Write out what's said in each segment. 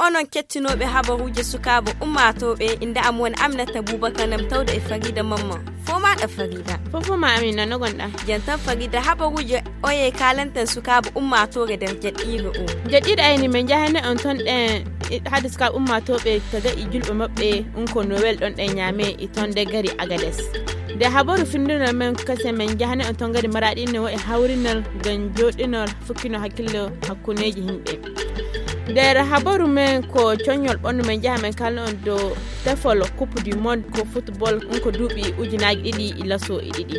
onon kettinoɓe habaruuje sukaaɓe ummatoɓe inda am woni Aminata Boubacar nam tawde e Farida Mamman foma da Farida fofoma Amina no gonɗa jantan Farida habaruuje oye kalantan sukaaɓe ummatore nder jaɗɗiɗo o jaɗɗiɗo ayni men jahane on ton ɗen hade sukaaɓe ummatoɓe taga e julɓe maɓɓe ko Noël ɗon ɗen ñaame e ton de gari Agades de habaru findinal men kase men jahane on ton gari maraɗi ne wo e hawrinal ngam joɗinol fukkino hakkillo hakkuneji himɓe nder habaru men ko coñol ɓondu men jaha men kalno on dow tefol coupe du monde ko football ko duuɓi ujunaji ɗiɗi e laso e ɗiɗi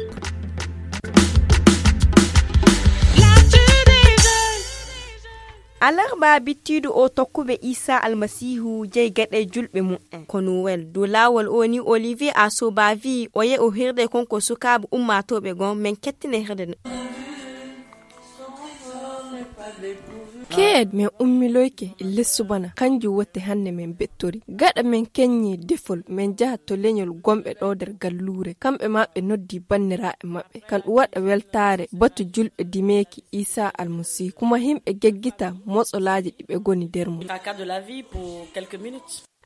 alarba bittiɗo o tokkuɓe Isa almasihu jeyi gaɗe julɓe mum'en ko Noël dow lawol o ni Olivier Asoba wi o ye o hirde konko sukaaɓe ummatoɓe gon men kettine hirde keed men ummiloyke e lessu bana kanjum wotte hande men bettori gada men kenyi defol men jaha to leñol gombe do der gallure kambe mabbe noddi banniraabe mabbe kan wada weltare batu julbe dimeki Isa almasi kuma himbe geggita motsolaaji dibe goni dermu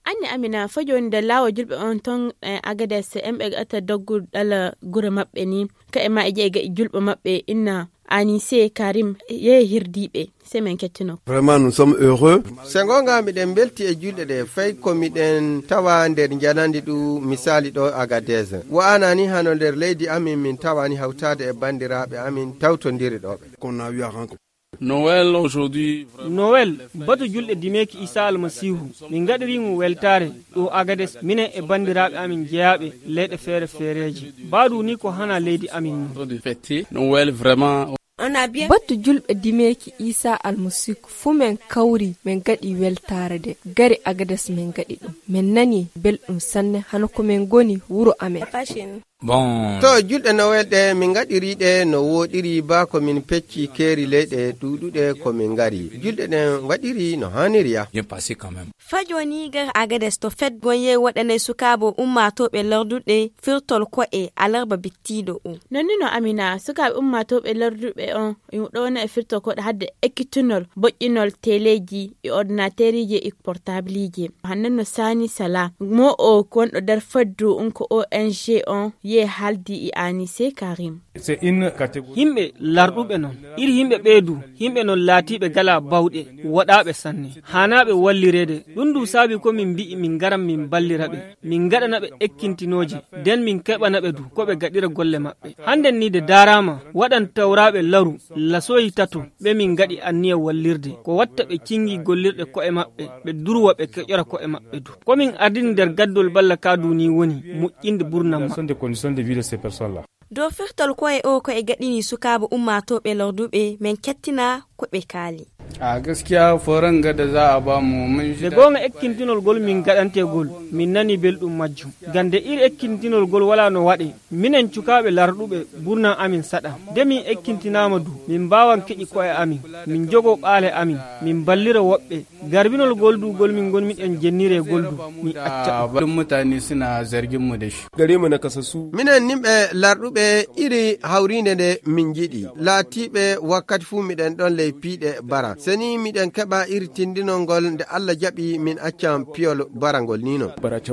anni Amina fajoni da lawo julbe on ton Agades embe ata doggu dala gure mabbe ni ka e ma e ga julbe mabbe inna Anissé Karim ye hirdibe semen kettino vraiment nous sommes heureux sengonga miden belti e julde de fay ko miden tawa nder janandi du misali do Agadez wa anani hano nder leydi amin min tawani hawtade e bandiraabe amin tawtondiri dobe qu'on a eu à rencontrer Noël aujourd'hui Noël batu julde dimeki Isa almasihu min gadiri mu weltare do Agades minen e bandiraabe amin jeyabe leyde fere fereji baadu ni ko hana leydi amin de fêter Noël vraiment batu julbe dimeki Isa almasihu fumen kawri men gadi weltare de gari Agades men gadi dum men nani beldum sanne hano ko men goni wuro amen bon to julde Noël de min gadiri de no wodiri ba ko min pecci keri leyde dudude ko min gari julde den wadiri no haniriya bien passé quand même fajoni gar Agades to fet gonye wadane sukabo ummatobe lardude firtol ko e alarba bittido o nonino Amina sukabe ummatobe lardude on do na firtol ko hadde ekitunol bojinol teleji e ordinateurije e portablije hanno sani sala mo o kon do dar faddu ko ONG on ye haldi e Anissé Karim c'est une catégorie himbe larduɓe non iri himbe beedu himbe non laatibe gala bawde wadabe sanne hanabe wallirede dundu sabi ko min bi min garam min ballirabe min gadanabe ekkintinoji den min kebanabe du ko be gadira golle mabbe handen ni de darama wadan tawrabe laru lasoyi tatu be min gadi anniya wallirde ko watta be kingi gollirde ko e mabbe be durwa be kejora ko e mabbe du ko min ardin der gaddol balla kaduni woni muƴƴinde burnam des conditions de vie de ces personnes là do firtol ko e o ko e gadini sukaabe ummatobe larduɓe men kettina ko be kaali a gaskiya foran ga da za a ba mu mun de gonga ekkintinol gol min gadante gol min nani beldum majjum gande iri ekkintinol gol wala no wade minen cukaabe larduɓe burna amin sada de min ekkintinama du min bawan keji ko e amin min jogo baale amin min ballira wobbe garbinol gol du gol min gon min en jennire gol du mi acca mutane suna zargin mu da shi gare mu na kasasu minen nimbe larduɓe iri hawrinde de min jidi laatibe wakkati fu miden don ley piide bara seni miden keba iri tindinol ngol nde Allah jabi min accam piol barangol nino barace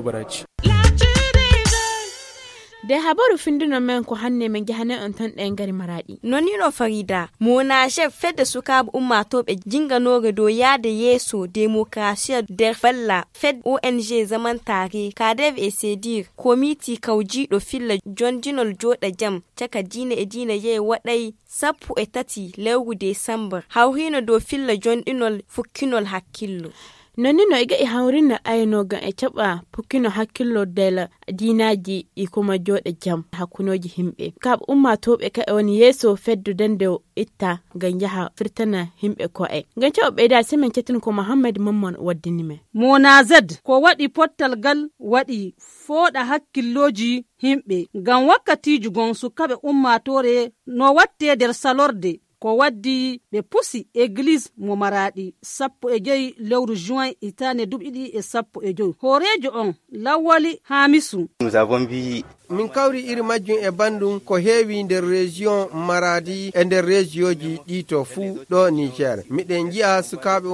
de habaru findino men ko hanne men jahane on tan den gari maradi nonino Farida mona chef fedde sukaabe ummatobe jinganoge do yaade yeso demokrasiya der falla fed ONG zaman tare kadev e sedir komiti kawjido filla jonjinol joda jam taka dine e dine ye wadai sappu e tati lewru December hawhino do filla jondinol fukkinol hakkillo nonino iga e hawrina aynoga e caba pukkino hakkillo dela dinaji e kuma jode jam hakunoji himbe kab ummatobe ka woni yeso feddu dende itta ganjaha firtana himbe ko e gancho be da semen cetin ko Muhammad Mamman waddini me Mona Z ko wadi pottal gal wadi foda hakkilloji himbe gam wakkati jugon sukabe ummatore no watte der salorde ko waddi ɓe pusi église mo Maradi 15 lewru juin hitande 2015. Horejo on Lawali Hamisu. Nous avons vu min kawri iri majjum e bandum ko heewi nder région Maradi e nder régioji ɗito fuu ɗo Niger. miɗen jiya sukaɓe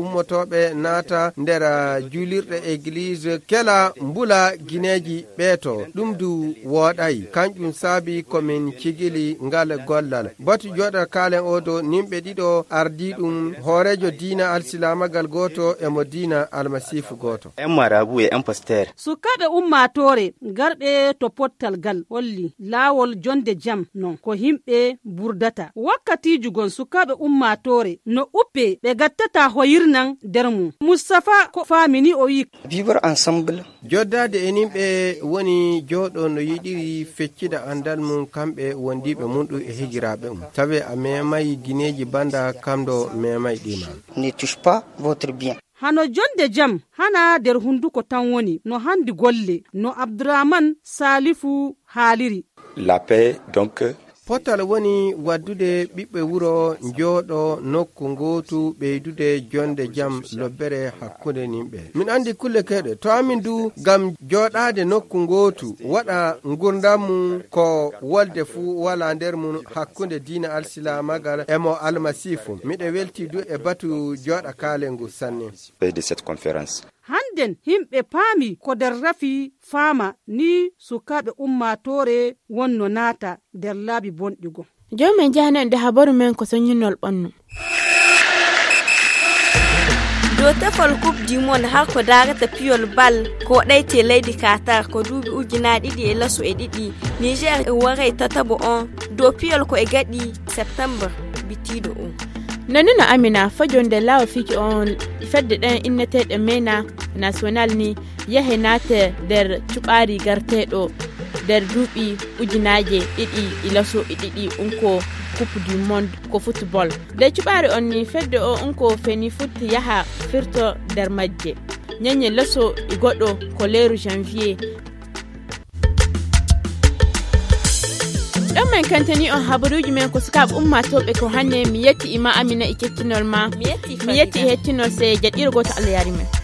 ummotoɓe naata nder julirɗe église kela mbula guineji ɓeeto ɗum du woɗayi kanƴum saabi komin cigili ngal gollal batu joɗa kalen odo nimɓe ɗiɗo ardi ɗum hoorejo diina alsilamagal goto e mo diina almasifu goto. un marabout et un pasteur. Sukaɓe ummatore garɓe to pottal gal holli laawol jonde jam non ko himɓe burdata wakkatiji gon sukaɓe ummatore no uppe ɓe gattata hoyirnan nder mum. Mustapha ko famini o wi Vivre ensemble. joddade e nimɓe woni joɗo no yiɗiri feccida andal mum kamɓe wondiɓe munɗu e higiraɓe tawi a memayi guineji banda kamɗo memayi ɗima. Ne touche pas votre bien. hano jonde jam hana nder hunduko tan woni no handi golle no Abdourahmane Salifu haaliri. La paix donc potal woni waddude ɓiɓɓe wuro jooɗo nokku gootu ɓeydude jonde jam lobbere hakkunde nimɓe. min andi kulle keɗe to amin du gam jooɗade nokku gootu waɗa gurdam mum ko wolde fuu wala nder mum hakkunde diina alsilamagal e mo almasifu. miɗe welti du e batu jooɗa kalengu sanne de cette conférence. Handen himɓe paami ko nder rafi faama ni sukaɓe ummatore wonno naata nder laabi bonɗigo. Jomen jahanen da habaru men ko sonyinol ɓannu. do tefol coupe du monde har ko darata piyol bal ko ɗayte leydi Qatar ko duuɓi ujunaaje ɗiɗi e laso e ɗiɗi. Niger e waray tatabo on do piyol ko e gaɗi septembre bitiɗo on. Nanuna Amina fajonde lawa fiki on fedde ɗen inneteɗe mena national ni yahe nate nder cuɓari garteɗo nder duuɓi ujunaaje ɗiɗi ilaso e ɗiɗi unko coupe du monde ko football. Nde cuɓari on ni fedde o unko feni futti yaha firto nder majje ñanye laso e goɗɗo ko leru janvier. ɗon men kantani on habaruji men ko sukaɓe ummatoɓe ko hanne mi yetti ima Amina e kettinol ma mi yetti e hettinol se jaɗɗirgo to Allah yari men.